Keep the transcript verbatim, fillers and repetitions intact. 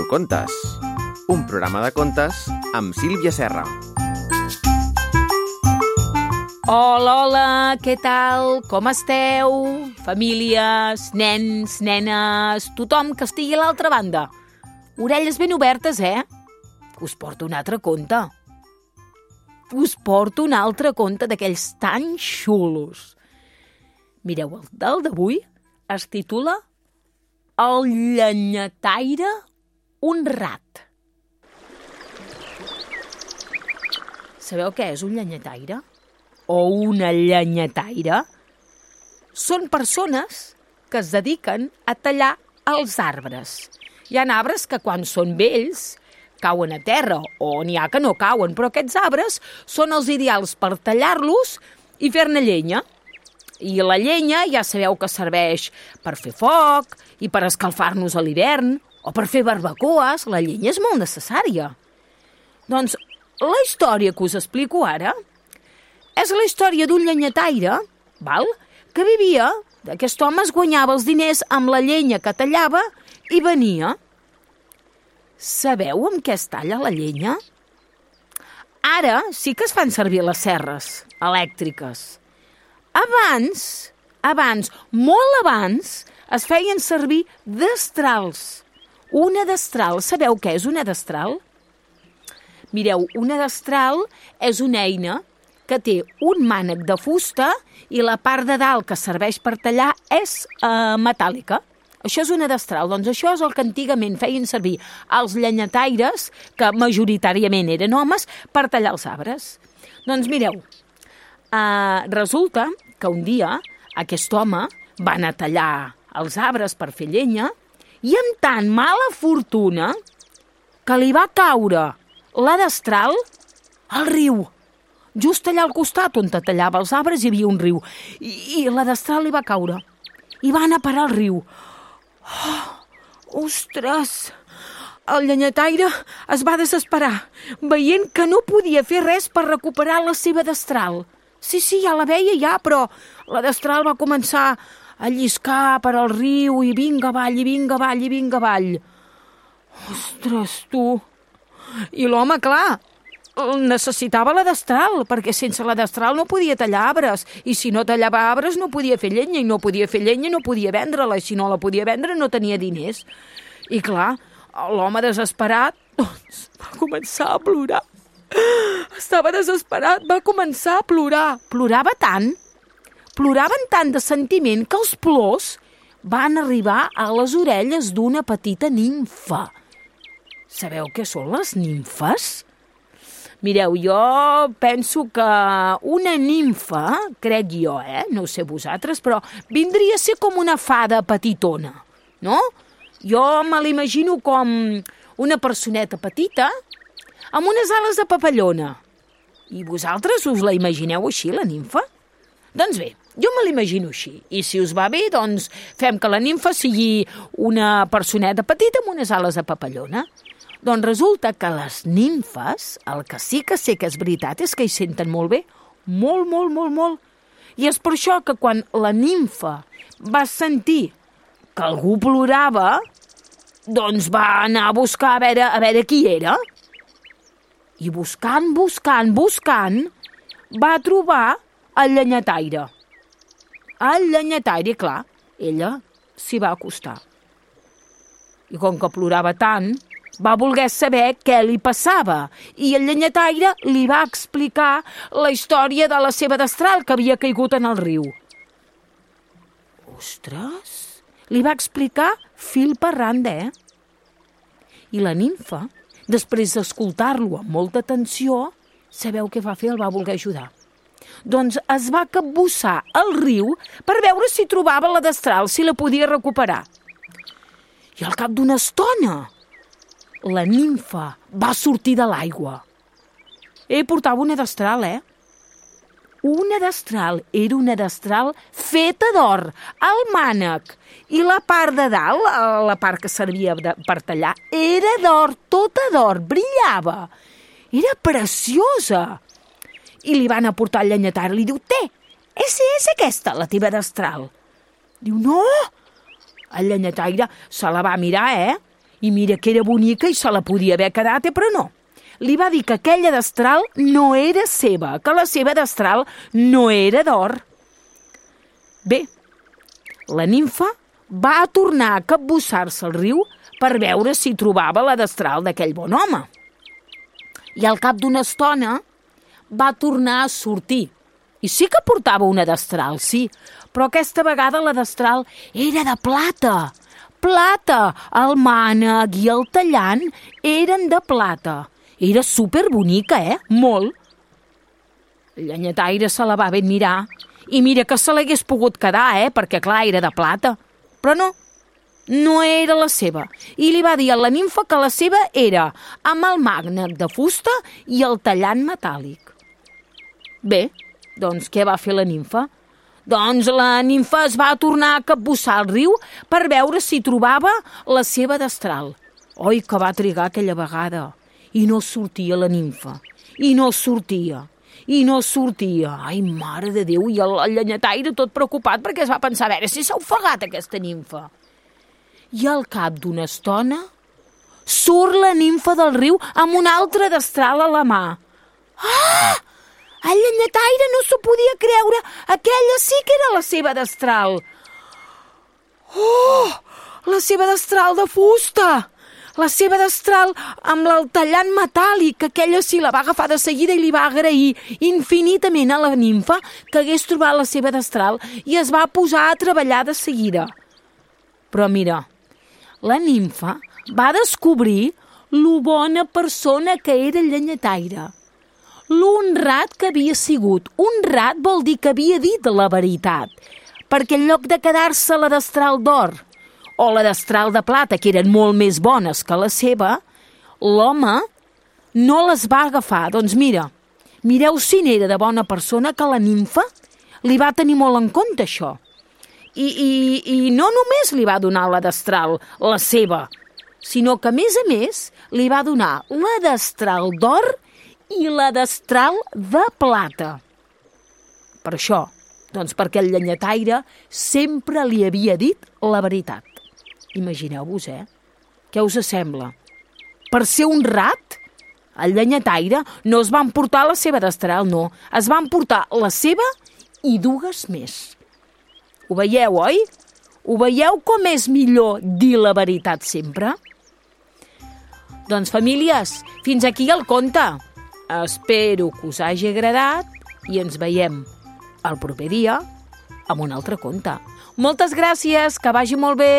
Contes, un programa de contes amb Sílvia Serra. Hola, hola, què tal? Com esteu? Famílies, nens, nenes, tothom que estigui a l'altra banda. Orelles ben obertes, eh? Us porto un altre conte. Us porto un altre conte d'aquells tan xulos. Mireu, el del d'avui es titula El llenyataire honrat. Sabeu què és un llenyataire? O una llenyataire? Són persones que es dediquen a tallar els arbres. Hi ha arbres que quan són vells cauen a terra, o n'hi ha que no cauen, però aquests arbres són els ideals per tallar-los i fer-ne llenya. I la llenya ja sabeu que serveix per fer foc i per escalfar-nos a l'hivern o per fer barbacoes. La llenya és molt necessària. Doncs la història que us explico ara és la història d'un llenyataire, val? Que vivia, aquest home es guanyava els diners amb la llenya que tallava i venia. Sabeu amb què es talla la llenya? Ara sí que es fan servir les serres elèctriques. Abans, abans, molt abans, es feien servir destrals. Una destral, sabeu què és una destral? Mireu, una destral és una eina que té un mànec de fusta i la part de dalt que serveix per tallar és eh, metàl·lica. Això és una destral. Doncs això és el que antigament feien servir els llenyataires, que majoritàriament eren homes, per tallar els arbres. Doncs mireu, eh, resulta que un dia aquest home va anar a tallar els arbres per fer llenya i amb tan mala fortuna que li va caure la destral al riu. Just allà al costat on tallava els arbres hi havia un riu i, i la destral li va caure i va anar a parar al riu. Oh, ostres! El llenyataire es va desesperar veient que no podia fer res per recuperar la seva destral. Sí, sí, ja la veia ja, però la destral va començar a lliscar per al riu i vinga avall, i vinga avall, i vinga avall. Ostres, tu! I l'home, clar, necessitava la destral, perquè sense la destral no podia tallar arbres, i si no tallava arbres no podia fer llenya, i no podia fer llenya no podia vendre-la, i si no la podia vendre no tenia diners. I clar, l'home desesperat, doncs, va començar a plorar. Estava desesperat, va començar a plorar. Plorava tant, ploraven tant de sentiment que els plors van arribar a les orelles d'una petita nimfa. Sabeu què són les nimfes? Mireu, jo penso que una nimfa, crec jo, eh? No ho sé vosaltres, però vindria a ser com una fada petitona, no? Jo me l'imagino com una personeta petita amb unes ales de papallona. I vosaltres us la imagineu així, la nimfa? Doncs bé, jo me l'imagino així. I si us va bé, doncs fem que la nimfa sigui una personeta petita amb unes ales de papallona. Doncs resulta que les nimfes, el que sí que sé que és veritat, és que hi senten molt bé. Molt, molt, molt, molt. I és per això que quan la nimfa va sentir que algú plorava, doncs va anar a buscar a veure, a veure qui era. I buscant, buscant, buscant, va trobar el llenyataire. El llenyataire, clar, ella s'hi va acostar. I com que plorava tant, va voler saber què li passava. I el llenyataire li va explicar la història de la seva destral que havia caigut en el riu. Ostres! Li va explicar fil per randa, eh? I la nimfa, després d'escoltar-lo amb molta atenció, sabeu què va fer? El va voler ajudar. Doncs es va capbussar al riu per veure si trobava la destral, si la podia recuperar. I al cap d'una estona, la nimfa va sortir de l'aigua. Eh, portava una destral, eh? Una destral, era una destral feta d'or, al mànec. I la part de dalt, la part que servia de, per tallar, era d'or, tota d'or, brillava. Era preciosa. I li van aportar el llenyataire, li diu, té, és, és aquesta la teva destral? Diu, no. El llenyataire se la va mirar, eh? I mira que era bonica i se la podia haver quedat, eh, però no. Li va dir que aquella destral no era seva, que la seva destral no era d'or. Bé, la nimfa va tornar a capbussar-se al riu per veure si trobava la destral d'aquell bon home. I al cap d'una estona va tornar a sortir. I sí que portava una destral, sí, però aquesta vegada la destral era de plata. Plata! El mànec i el tallant eren de plata. Era superbonica, eh? Molt. El llenyataire se la va ben mirar i mira que se l'hagués pogut quedar, eh? Perquè, clar, era de plata. Però no, no era la seva. I li va dir a la nimfa que la seva era amb el mànec de fusta i el tallant metàl·lic. Bé, doncs què va fer la nimfa? Doncs la nimfa es va tornar a capbussar al riu per veure si trobava la seva destral. Oi, que va trigar aquella vegada. I no sortia la nimfa. I no sortia. I no sortia. Ai, mare de Déu, i el, el llenyataire tot preocupat perquè es va pensar a veure si s'ha ofegat aquesta nimfa. I al cap d'una estona surt la nimfa del riu amb una altra destral a la mà. Ah! El llenyataire no s'ho podia creure. Aquella sí que era la seva destral. Oh! La seva destral de fusta! La seva destral amb el tallant metàl·lic. Aquella sí la va agafar de seguida i li va agrair infinitament a la nimfa que hagués trobat la seva destral i es va posar a treballar de seguida. Però mira, la nimfa va descobrir lo bona persona que era el llenyataire. L'honrat que havia sigut. Honrat vol dir que havia dit la veritat, perquè en lloc de quedar-se la destral d'or o la destral de plata, que eren molt més bones que la seva, l'home no les va agafar. Doncs mira, mireu si n'era de bona persona que la nimfa li va tenir molt en compte això. I, i, i no només li va donar la destral, la seva, sinó que, a més a més, li va donar la destral d'or i la destral de plata. Per això, doncs perquè el llenyataire sempre li havia dit la veritat. Imagineu-vos, eh? Què us sembla? Per ser honrat, el llenyataire no es va emportar la seva destral, no. Es va emportar la seva i dues més. Ho veieu, oi? Ho veieu com és millor dir la veritat sempre? Doncs, famílies, fins aquí el conte. Espero que us hagi agradat i ens veiem el proper dia amb un altre conte. Moltes gràcies, que vagi molt bé!